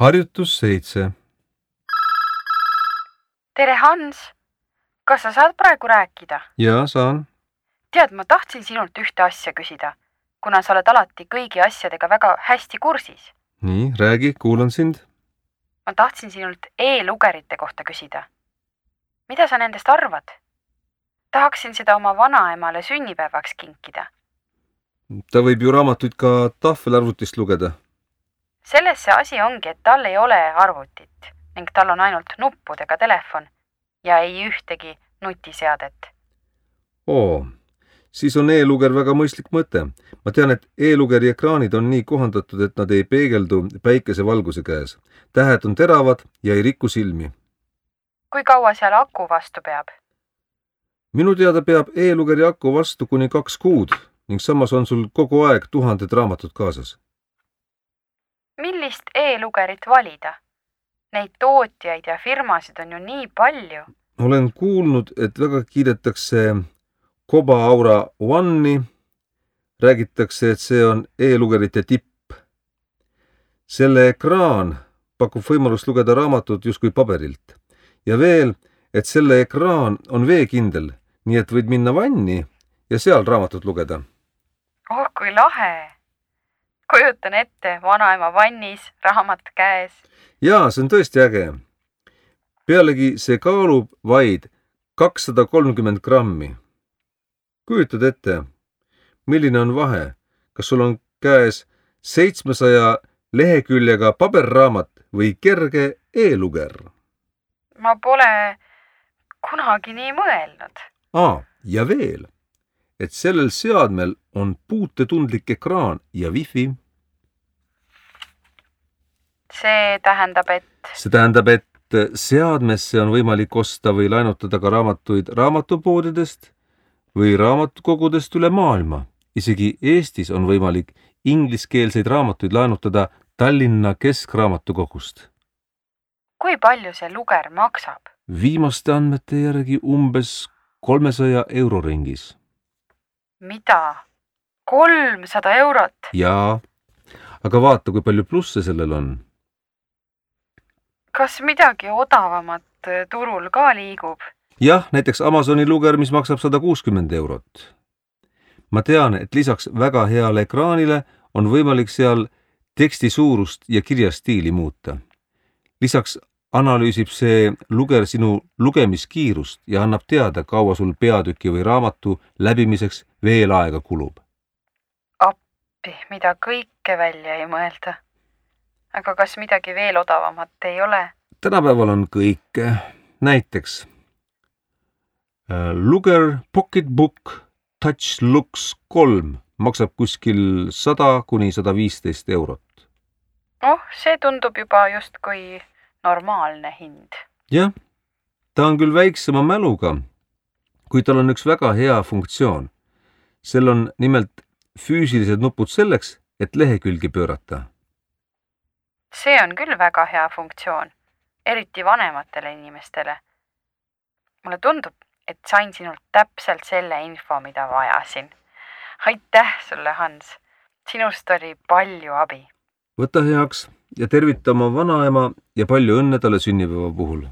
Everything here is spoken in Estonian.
Harjutus 7. Tere, Hans! Kas sa saad praegu rääkida? Jaa, saan. Tead, ma tahtsin sinult ühte asja küsida, kuna sa oled alati kõigi asjadega väga hästi kursis. Nii, räägi, kuulan sind. Ma tahtsin sinult e-lugerite kohta küsida. Mida sa nendest arvad? Tahaksin seda oma vanaemale sünnipäevaks kinkida. Ta võib ju raamatuid ka tahvelarvutist lugeda. Selles see asi ongi, et tal ei ole arvutit ning tal on ainult nuppudega telefon ja ei ühtegi nutiseadet. Siis on e-luger väga mõistlik mõte. Ma tean, et e-lugeri ekraanid on nii kohandatud, et nad ei peegeldu päikesevalguse käes. Tähed on teravad ja ei riku silmi. Kui kaua seal aku vastu peab? Minu teada peab e-lugeri aku vastu kuni 2 kuud ning samas on sul kogu aeg 1000 raamatut kaasas. Millist e-lugerit valida? Neid tootjaid ja firmasid on ju nii palju. Olen kuulnud, et väga kiidetakse Koba Aura One'i. Räägitakse, et see on e-lugerite tipp. Selle ekraan pakub võimalust lugeda raamatut justkui paberilt. Ja veel, et selle ekraan on veekindel, nii et võid minna vanni ja seal raamatut lugeda. Oh, kui lahe! Kujutan ette vanaema vannis, raamat käes. Jaa, see on tõesti äge. Pealegi see kaalub vaid 230 grammi. Kujutad ette, milline on vahe, kas sul on käes 700 leheküljega paberraamat või kerge e-luger? Ma pole kunagi nii mõelnud. Ja veel, et sellel seadmel on puutetundlik ekraan ja wifi. See tähendab, et seadmesse on võimalik osta või laenutada ka raamatuid raamatupoodidest või raamatukogudest üle maailma. Isegi Eestis on võimalik ingliskeelseid raamatuid laenutada Tallinna Keskraamatukogust. Kui palju see luger maksab? Viimaste andmete järgi umbes 300 euro ringis. Mida? 300 eurot? Jaa, aga vaata, kui palju plusse sellel on. Kas midagi odavamat turul ka liigub? Jah, näiteks Amazoni luger, mis maksab 160 eurot. Ma tean, et lisaks väga heale ekraanile on võimalik seal teksti suurust ja kirjastiili muuta. Lisaks analüüsib see luger sinu lugemiskiirust ja annab teada, kaua sul peatüki või raamatu läbimiseks veel aega kulub. Appi, mida kõike välja ei mõelda. Aga kas midagi veel odavamat ei ole? Tänapäeval on kõike. Näiteks Luger Pocketbook Touch Lux 3 maksab kuskil 100 kuni 115 eurot. See tundub juba justkui normaalne hind. Jah, ta on küll väiksema mäluga, kuid tal on üks väga hea funktsioon. Sel on nimelt füüsilised nupud selleks, et lehekülgi pöörata. See on küll väga hea funktsioon, eriti vanematele inimestele. Mulle tundub, et sain sinult täpselt selle info, mida vajasin. Aitäh sulle, Hans. Sinust oli palju abi. Võta heaks ja tervita oma vanaema ja palju õnne talle sünnipäeva puhul.